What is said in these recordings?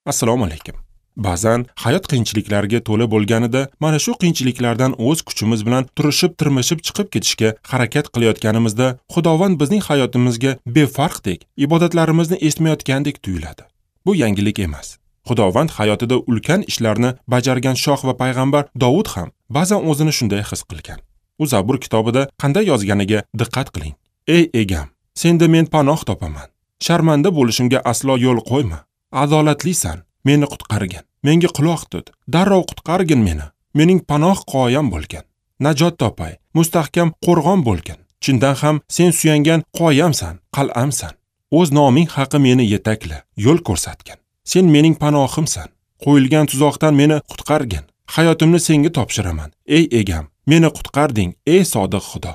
Assalomu alaykum. Ba'zan hayot qiyinchiliklarga to'la bo'lganida mana shu qiyinchiliklardan o'z kuchimiz bilan turishib, tirmishib chiqib ketishga harakat qilayotganimizda Xudovand bizning hayotimizga befarqdek, ibodatlarimizni eshitmayotgandek tuyuladi. Bu yangilik emas. Xudovand hayotida ulkan ishlarni bajargan shoh va payg'ambar Dovud ham ba'zan o'zini shunday his qilgan. U Zabur kitobida qanday yozganiga diqqat qiling. Ey egam, senda men panoh topaman. Sharmanda bo'lishimga aslo yo'l qo'yma. Adolatlisan, meni qutqargin. Menga quloq tut, darrov qutqargin meni. Mening panoh qoyam bo'lgin. Najot topay, mustahkam qo'rg'on bo'lgin. Chindan ham sen suyangan qoyamsan, qal'amsan. O'z noming haqi meni yetakla, yo'l ko'rsatgin. Sen mening panohimsan. Qo'yilgan tuzoqdan meni qutqargin. Hayotimni senga topshiraman. Ey egam, meni qutqarding, ey sodiq Xudo.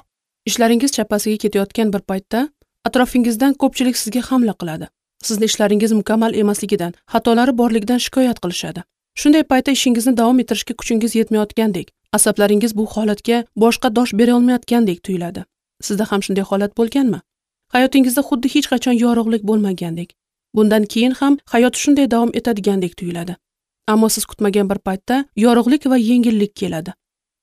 Ishlaringiz chapasiga ketayotgan bir paytda atrofingizdan ko'pchilik sizga hamla qiladi. Sizni ishlaringiz mukammal emasligidan, xatolari borligidan shikoyat qilishadi. Shunday paytda ishingizni davom ettirishga kuchingiz yetmayotgandek, asablaringiz bu holatga boshqa dosh bera olmayotgandek tuyuladi. Sizda ham shunday holat bo'lganmi? Hayotingizda xuddi hech qachon yorug'lik bo'lmagandek. Bundan keyin ham hayot shunday davom etadigandek tuyuladi. Ammo siz kutmagan bir paytda yorug'lik va yengillik keladi.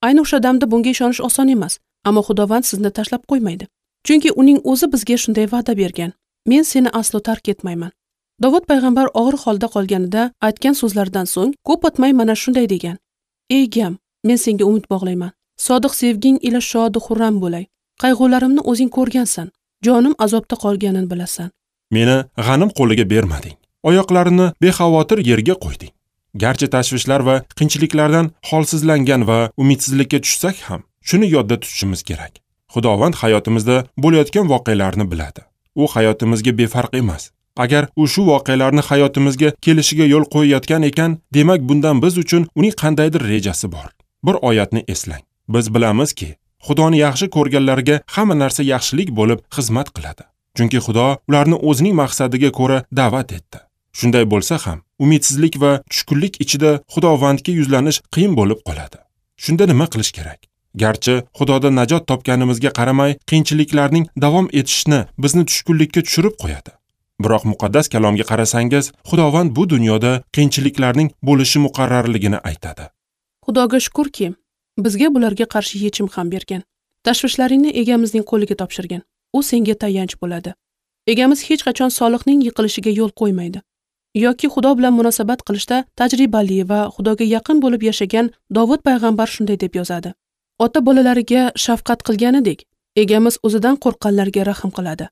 Ayni o'sha damda bunga ishonish oson emas, ammo Xudovand sizni tashlab qo'ymaydi. Chunki uning o'zi bizga shunday va'da bergan. Men seni aslo tark etmayman. Dovud payg'ambar og'ir holda qolganida aytgan so'zlaridan so'ng ko'p o'tmay mana shunday degan: Ey egam, men senga umid bog'layman. Sodiq sevging ila shod xurram bo'lay. Qayg'ularimni o'zing ko'rgansan. Jonim azobda qolganini bilasan. Meni g'anim qo'liga bermading. Oyoqlarimni bexavotir yerga qo'yding. Garchi tashvishlar va qiyinchiliklardan holsizlangan va umidsizlikka tushsak ham, shuni yodda tutishimiz kerak. Xudovand hayotimizda bo'layotgan voqealarni biladi. U hayotimizga befarq emas. Agar u shu voqealarni hayotimizga kelishiga yo'l qo'yayotgan ekan, demak bundan biz uchun uning qandaydir rejasi bor. Bir oyatni eslang. Biz bilamizki, Xudoni yaxshi ko'rganlarga hamma narsa yaxshilik bo'lib xizmat qiladi. Chunki Xudo ularni o'zining maqsadiga ko'ra da'vat etdi. Shunday bo'lsa ham, umidsizlik va tushkunlik ichida Xudovandga yuzlanish qiyin bo'lib qoladi. Shunda nima qilish kerak? Garchi Xudoda najot topganimizga qaramay, qiyinchiliklarning davom etishini bizni tushkunlikka tushirib qo'yadi. Biroq muqaddas kalomga qarasangiz, Xudovand bu dunyoda qiyinchiliklarning bo'lishi muqarrarligini aytadi. Xudoga shukurki, bizga bularga qarshi yechim ham bergan. Tashvishlaringni egamizning qo'liga topshirgan. U senga tayanch bo'ladi. Egamiz hech qachon solihning yiqilishiga yo'l qo'ymaydi. Yoki Xudo bilan munosabat qilishda tajribali va Xudoga yaqin bo'lib yashagan Dovud payg'ambar shunday deb yozadi: Ota bolalariga shafqat qilganidek, egamiz o'zidan qo'rqqanlarga rahm qiladi.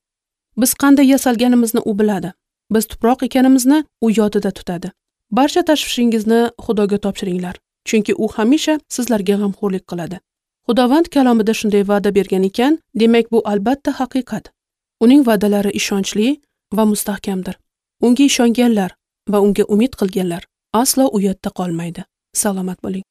Biz qanday yasalganimizni u biladi. Biz tuproq ekanimizni u yodida tutadi. Barcha tashvishingizni Xudoga topshiringlar, chunki u hamisha sizlarga g'amxo'rlik qiladi. Xudovand kalomida shunday va'da bergan ekan, demak bu albatta haqiqat. Uning va'dalari ishonchli va mustahkamdir. Unga ishonganlar va unga umid qilganlar aslo uyatda qolmaydi. Salomat bo'ling.